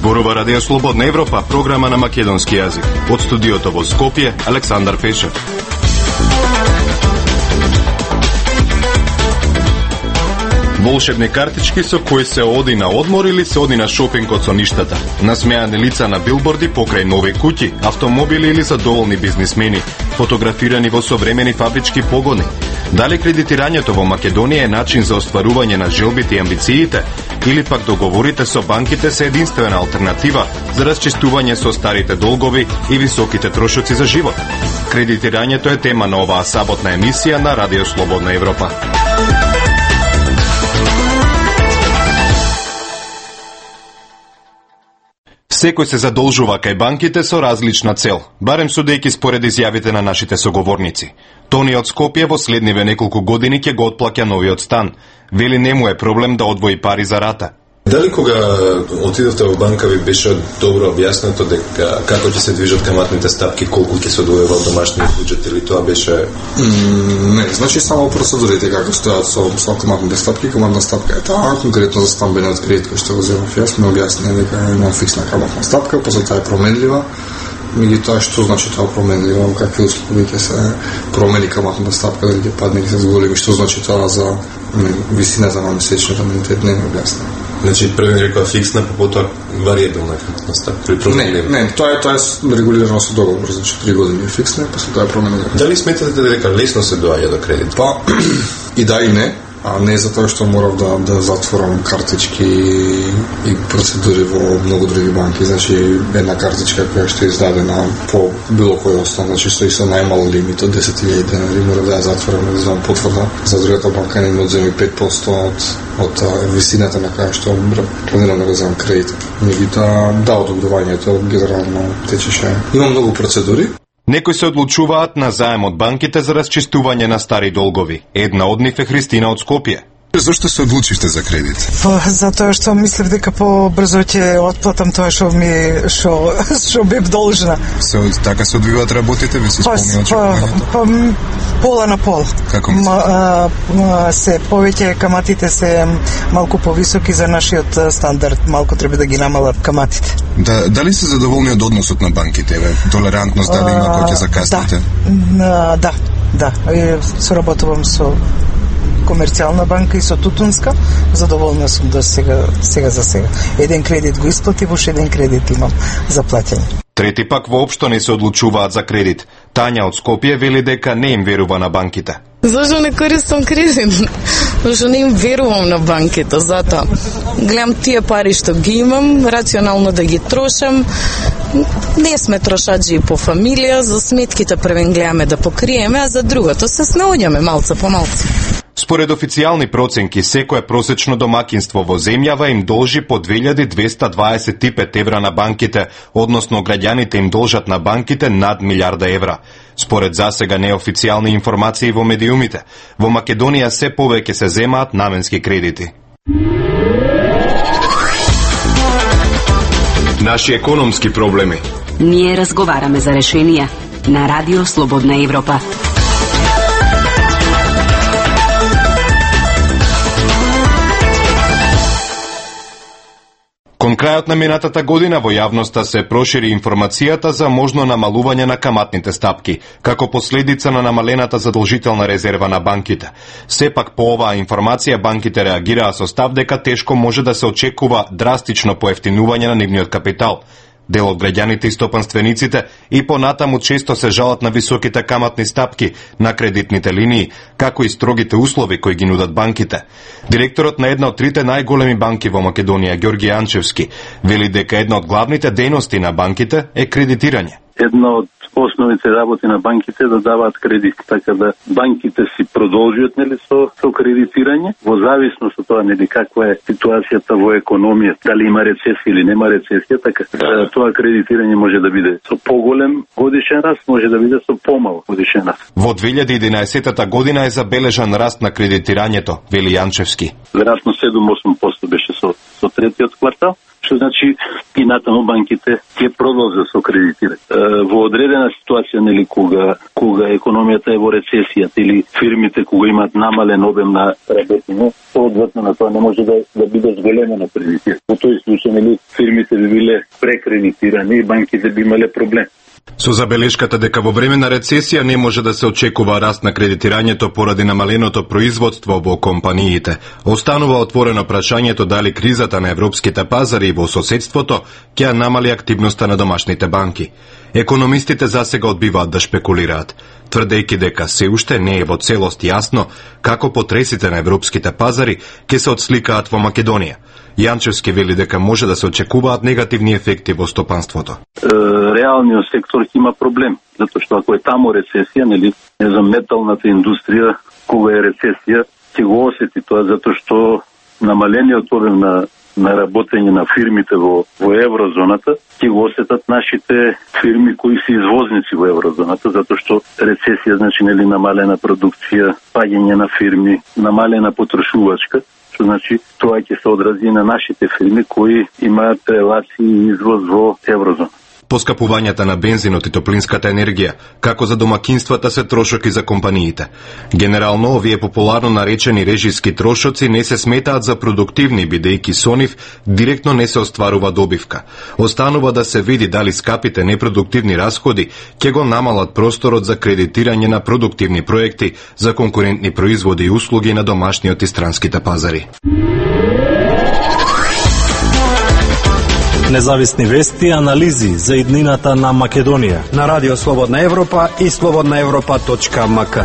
Зборува Радио Слободна Европа, програма на македонски јазик. Од студиото во Скопје, Александар Пешев. Волшебни картички со кои се оди на одмор или се оди на шопинг од соништата. Насмеани лица на билборди покрај нови куќи, автомобили или задоволни бизнисмени, фотографирани во современи фабрички погони. Дали кредитирањето во Македонија е начин за остварување на желбите и амбициите, или пак договорите со банките се единствена алтернатива за расчистување со старите долгови и високите трошоци за живот? Кредитирањето е тема на оваа саботна емисија на Радио Слободна Европа. Секој се задолжува кај банките со различна цел, барем судејќи според изјавите на нашите соговорници. Тони од Скопје во следниве неколку години ќе го отплаќа новиот стан. Вели не му е проблем да одвои пари за рата. Дали кога отидовте во банка ви беше добро објаснето дека како ќе се движат каматните стапки, колку ќе се одвојува од домашниот буџет, или тоа беше Не, значи само процедурите како стојат со каматните стапки. Каматна стапка е таа, конкретно за стамбениот кредит кој што го земав јас, ме објасни дека има фиксна каматна стапка, после таа е променлива. Меѓутоа, што значи тоа променливо, какви услови ќе се промени каматната стапка, дали ќе падне, ќе се зголеми, што значи тоа за висината на месечниот ануитет, не ми објасни. Значи, први рекла фиксна, потоа варијабилна каматна стапка. Не, тоа е регулирано со договор, значи 3 години е фиксна, после тоа е променлива. Дали сметате дека лесно се доаѓа до кредит? Па, и да и не. А не затоа што морав да затворам картички и процедури во многу други банки. Значи, една картичка која што е издадена по било кој основ, значи стои со најмал лимит од 10.000 денари, мора да ја затворам, да земам потврда. За другата банка не ми одземи 5% од висината на која што планирам да го земам кредит. Меѓутоа, да, одобрувањето генерално течеше. Има многу процедури. Некои се одлучуваат на заем од банките за расчистување на стари долгови. Една од нив е Христина од Скопје. Зошто се одлучивте за кредит? Затоа што мислев дека побрзо ќе отплатам тоа што бев должна. Така се одвиваат работите, ви се спомни очекувањето? Пола на пол. Како се повеќе каматите се малку повисоки за нашиот стандард, малку треба да ги намалат каматите. Дали се задоволни од односот на банките? Толерантност дали има кој ќе закасните? Да. Соработувам со комерцијална банка и со Тутунска, задоволна сум до сега за сега. Еден кредит го исплатив, уште еден кредит имам за платење. Трети пак воопшто не се одлучуваат за кредит. Тања од Скопје вели дека не им верува на банките. Зашто не користам кредит? Зашто не им верувам на банките, затоа гледам тие пари што ги имам, рационално да ги трошам. Не сме трошаджи по фамилија, за сметките првен гледаме да покриеме, а за другото се снаоѓаме малце по малце. Според официјални проценки, секое просечно домакинство во земјава им должи по 2225 евра на банките, односно граѓаните им должат на банките над 1 милиарда евра. Според засега неофицијални информации во медиумите, во Македонија се повеќе се земаат наменски кредити. Наши економски проблеми. Ние разговараме за решенија на Радио Слободна Европа. Кон крајот на минатата година во јавноста се прошири информацијата за можно намалување на каматните стапки, како последица на намалената задолжителна резерва на банките. Сепак по оваа информација банките реагираа со став дека тешко може да се очекува драстично поевтинување на нивниот капитал. Дел од граѓаните и стопанствениците и понатаму често се жалат на високите каматни стапки на кредитните линии, како и строгите услови кои ги нудат банките. Директорот на една од трите најголеми банки во Македонија, Ѓорги Анчевски, вели дека една од главните дејности на банките е кредитирање. Една од основните работи на банките да даваат кредит, така да банките си продолжуваат со кредитирање, во зависност од тоа каква е ситуацијата во економијата, дали има рецесија или нема рецесија, така тоа кредитирање може да биде со поголем годишен раст, може да биде со помал годишен раст. Во 2011 година е забележан раст на кредитирањето, вели Јанчевски. Веројатно 7-8% беше со третиот квартал, што значи и натаму банките ќе продолжат со кредитирање. Во одредена ситуација, нели, кога економијата е во рецесија или фирмите кога имаат намален обем на работење, соодветно на тоа не може да биде зголемено кредитирање. Во тој случај, нели, фирмите би биле прекредитирани и банките би имале проблем. Со забелешката дека во време на рецесија не може да се очекува раст на кредитирањето поради намаленото производство во компаниите, останува отворено прашањето дали кризата на европските пазари и во соседството ќе намали активноста на домашните банки. Економистите засега одбиваат да шпекулираат, тврдејќи дека се уште не е во целост јасно како потресите на европските пазари ќе се отсликаат во Македонија. Јанчевски вели дека може да се очекуваат негативни ефекти во стопанството. Реалниот сектор има проблем, затоа што ако е таму рецесија, нели, металната индустрија, кога е рецесија, ќе го осети тоа, затоа што намалениот обем на работење на фирмите во еврозоната ќе го осетат нашите фирми кои се извозници во еврозоната, затоа што рецесија значи, нели, намалена продукција, паѓање на фирми, намалена потрошувачка, што значи тоа ќе се одрази на нашите фирми кои имаат релации и извоз во еврозона. Поскапувањата на бензинот и топлинската енергија, како за домакинствата, се трошоки за компаниите. Генерално, овие популарно наречени режиски трошоци не се сметаат за продуктивни, бидејќи со нив директно не се остварува добивка. Останува да се види дали скапите непродуктивни расходи ќе го намалат просторот за кредитирање на продуктивни проекти за конкурентни производи и услуги на домашниот и странските пазари. Независни вести и анализи за иднината на Македонија на Радио Слободна Европа и slobodnaevropa.mk.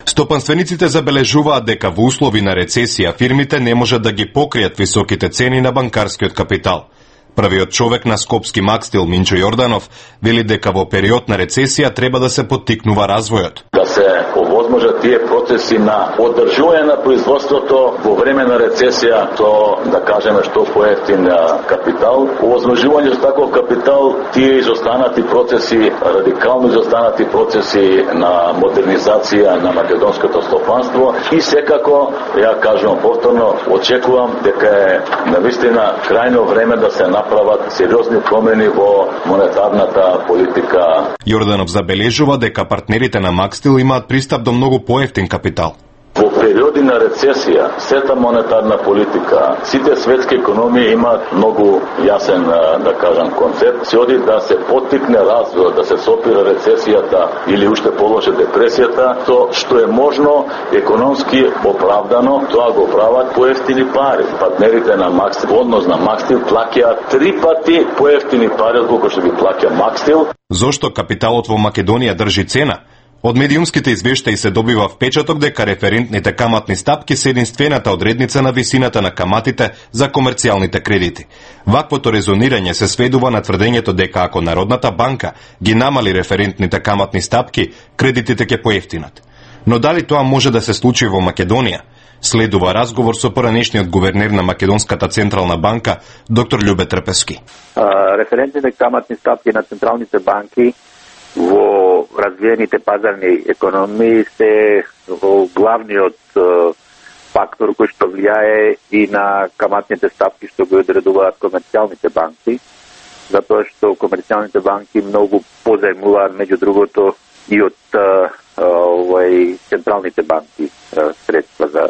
Стопанствениците забележуваат дека во услови на рецесија фирмите не можат да ги покријат високите цени на банкарскиот капитал. Првиот човек на Скопски Макстил, Минчо Јорданов, вели дека во период на рецесија треба да се поттикнува развојот. Да се овозможат тие процеси на одржување на производството во време на рецесија, то да кажеме што поевтин капитал, овозможување за таков капитал, тие изостанати процеси, радикално изостанати процеси на модернизација на македонското стопанство и секако, ја кажувам повторно, очекувам дека е навистина крајно време да се направат сериозни промени во монетарната политика. Јорданов забележува дека партнерите на Макстил имаат пристап до многу поевтин капитал. Во периоди на рецесија, сета монетарна политика, сите светски економии имаат многу јасен, да кажам, концепт. Се оди да се поттикне развојот, да се сопира рецесијата или уште полоше депресијата, то што е можно економски оправдано, тоа го прават поевтини пари. Партнерите на Макстил, однос на Макстил, плаќаат 3 пати поевтини пари отколку што ги плаќа Макстил. Зошто капиталот во Македонија држи цена? Од медиумските извештаи се добива впечаток дека референтните каматни стапки се единствената одредница на висината на каматите за комерцијалните кредити. Ваквото резонирање се сведува на тврдењето дека ако Народната банка ги намали референтните каматни стапки, кредитите ќе поевтинат. Но дали тоа може да се случи во Македонија? Следува разговор со поранешниот гувернер на Македонската централна банка, доктор Љубе Трпевски. Референтните каматни стапки на централните банки во развиените пазарни економии се главниот фактор кој што влијае и на каматните стапки што го одредуваат комерцијалните банки, затоа што комерцијалните банки многу позајмуваат меѓу другото и од централните банки средства за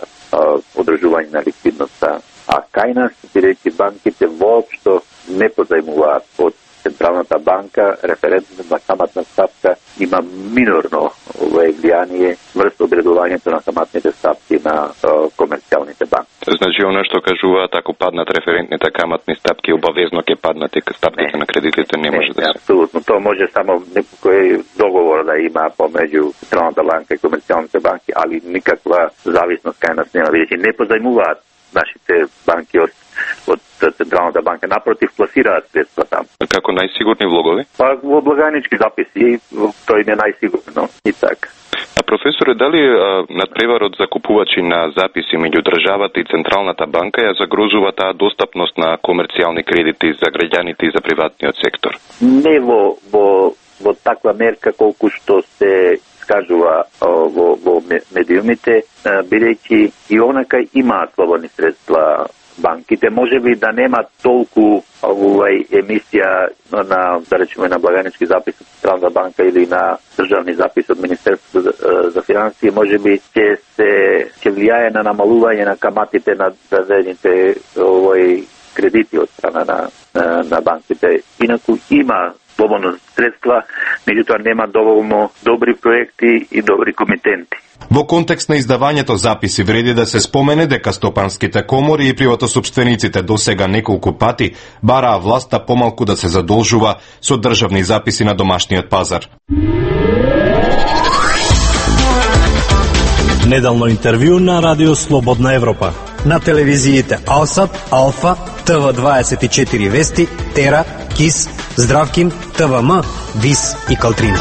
одржување на ликвидноста. А кај нас, бидејќи банките воопшто не позајмуваат од Централната банка, референтната каматна стапка има минорно влијание врз одредувањето на каматните стапки на комерцијалните банки. Значи, оно што кажуваат, ако паднат референтните каматни стапки, обавезно ќе паднат и стапките на кредитите, не може да се. Апсолутно, тоа може само некој договор да има помеѓу Централната банка и комерцијалните банки, али никаква зависност кај нас нема, бидејќи не позајмуваат нашите банки од Централната банка, напротив, пласираат средства там. Како најсигурни влогови? Па во благајнички записи, тој не најсигурно и така. А професоре, дали надпреварот за купувачи на записи меѓу државата и Централната банка ја загрозува таа достапност на комерцијални кредити за граѓаните и за приватниот сектор? Не во таква мерка колку што се искажува во медиумите, бидејќи и онака имаат слободни средства банките, може би да нема толку емисија на, да речеме, на благајнички запис од Централна банка или на државни запис од Министерството за финансии, може би ќе влијае на намалување на каматите на дадените кредити од страна на банките. Инаку има слободно средства, меѓутоа нема доволно добри проекти и добри комитенти. Во контекст на издавањето записи вреди да се спомене дека стопанските комори и приватосопствениците досега неколку пати бараа власта помалку да се задолжува со државни записи на домашниот пазар. Неделно интервју на Радио Слободна Европа. На телевизиите Алсат, Алфа, ТВ24 Вести, Тера, КИС, Здравкин, ТВМ, ВИС и Калтрина.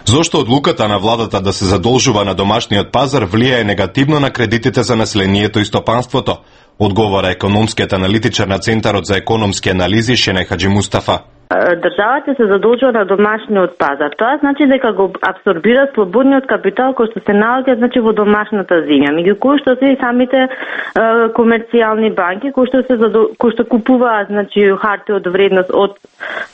Зошто одлуката на владата да се задолжува на домашниот пазар влијае негативно на кредитите за населението и стопанството? Одговора економскиот аналитичар на Центарот за економски анализи Шене Хаджимустафа. Државата се задолжува на домашниот пазар. Тоа значи дека го абсорбира слободниот капитал кој што се наоѓа во домашната земја, меѓу кои што се и самите комерцијални банки кои што купуваат харти од вредност од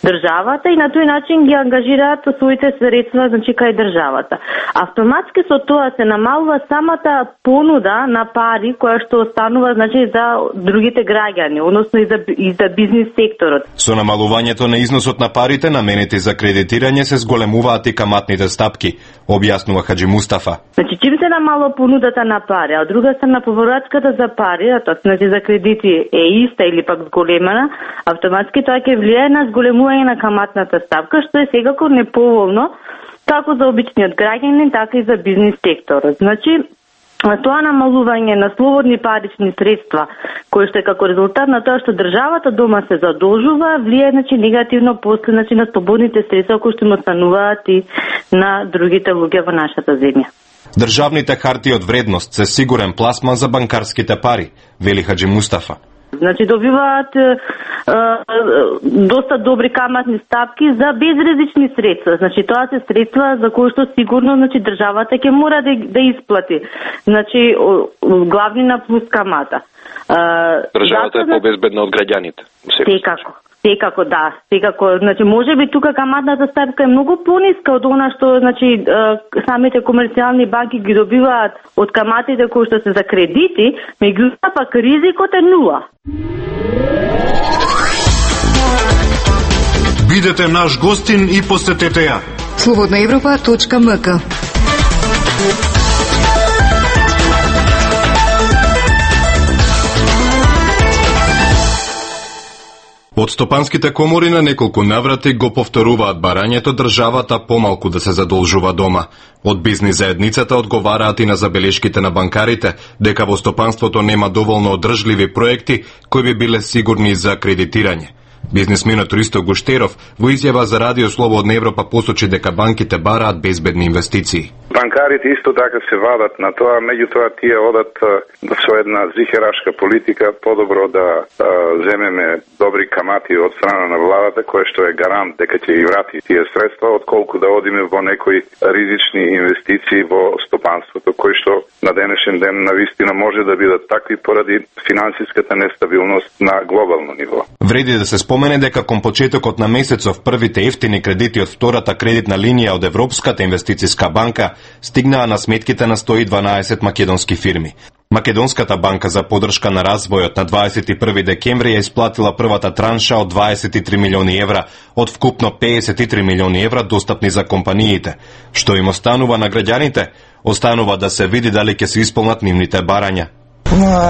државата и на тој начин ги ангажираат своите средства кај државата. Автоматски со тоа се намалува самата понуда на пари која што останува за другите граѓани, односно и за бизнис секторот. Со намалувањето на износот на парите наменети за кредитирање се зголемуваат и каматните стапки, објаснува Хаджимустафа. Чим се намалува понудата на пари, а од друга страна повратката за пари, за кредити е иста или пак зголемена, автоматски тоа ќе влијае на зголемување на каматната стапка, што е секако неповолно како за обичниот граѓанин, така и за бизнис секторот. Тоа намалување на слободни парични средства, кои што е како резултат на тоа што државата дома се задолжува, влијае негативно после на слободните средства кои што им остануваат и на другите луѓе во нашата земја. Државните харти од вредност се сигурен пласман за банкарските пари, вели Хаджимустафа. Добиваат доста добри каматни стапки за безризични средства. Тоа се средства за кои што сигурно државата ќе мора да исплати. Главнина плюс камата. Државата е побезбедна од граѓаните. Секако, да. Може би тука каматната стапка е многу пониска од она што самите комерцијални банки ги добиваат од каматите кои што се за кредити, меѓутоа пак ризикот е нула. Бидете наш гостин и посетете ја. slobodnaevropa.mk. Од стопанските комори на неколку наврати го повторуваат барањето државата помалку да се задолжува дома. Од бизнис заедницата одговараат и на забелешките на банкарите дека во стопанството нема доволно одржливи проекти кои би биле сигурни за кредитирање. Бизнисменот Ристо Гуштеров во изјава за Радио Слободна Европа посочи дека банките бараат безбедни инвестиции. Банкарите исто така се вадат на тоа, меѓутоа тие одат со една зихерашка политика, подобро да земеме добри камати од страна на владата, која што е гарант дека ќе ги врати тие средства, отколку да одиме во некои ризични инвестиции во стопанството, кои што на денешен ден навистина може да бидат такви поради финансиската нестабилност на глобално ниво. Вреди да се спомене дека кон почетокот на месецов првите ефтини кредити од втората кредитна линија од Европската инвестициска банка стигнаа на сметките на 112 македонски фирми. Македонската банка за поддршка на развојот на 21 декември ја исплатила првата транша од 23 милиони евра од вкупно 53 милиони евра достапни за компаниите. Што им останува на граѓаните? Останува да се види дали ќе се исполнат нивните барања.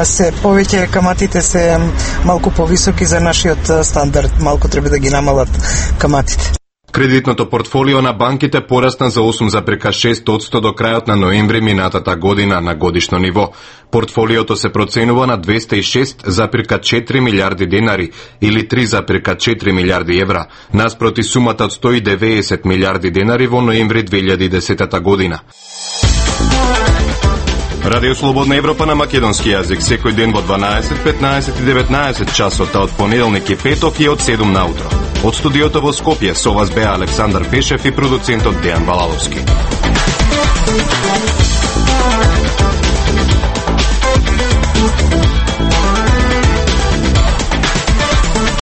Се повеќе каматите се малку повисоки за нашиот стандард, малку треба да ги намалат каматите. Кредитното портфолио на банките порасна за 8,6% до крајот на ноември минатата година на годишно ниво. Портфолиото се проценува на 206,4 милиарди денари или 3,4 милиарди евра, наспроти сумата од 190 милиарди денари во ноември 2010 година. Радио Слободна Европа на македонски јазик секој ден во 12, 15 и 19 часот, од понеделник и петок и од 7 наутро. Од студиото во Скопје со вас беа Александар Пешев и продуцентот Дејан Балаловски.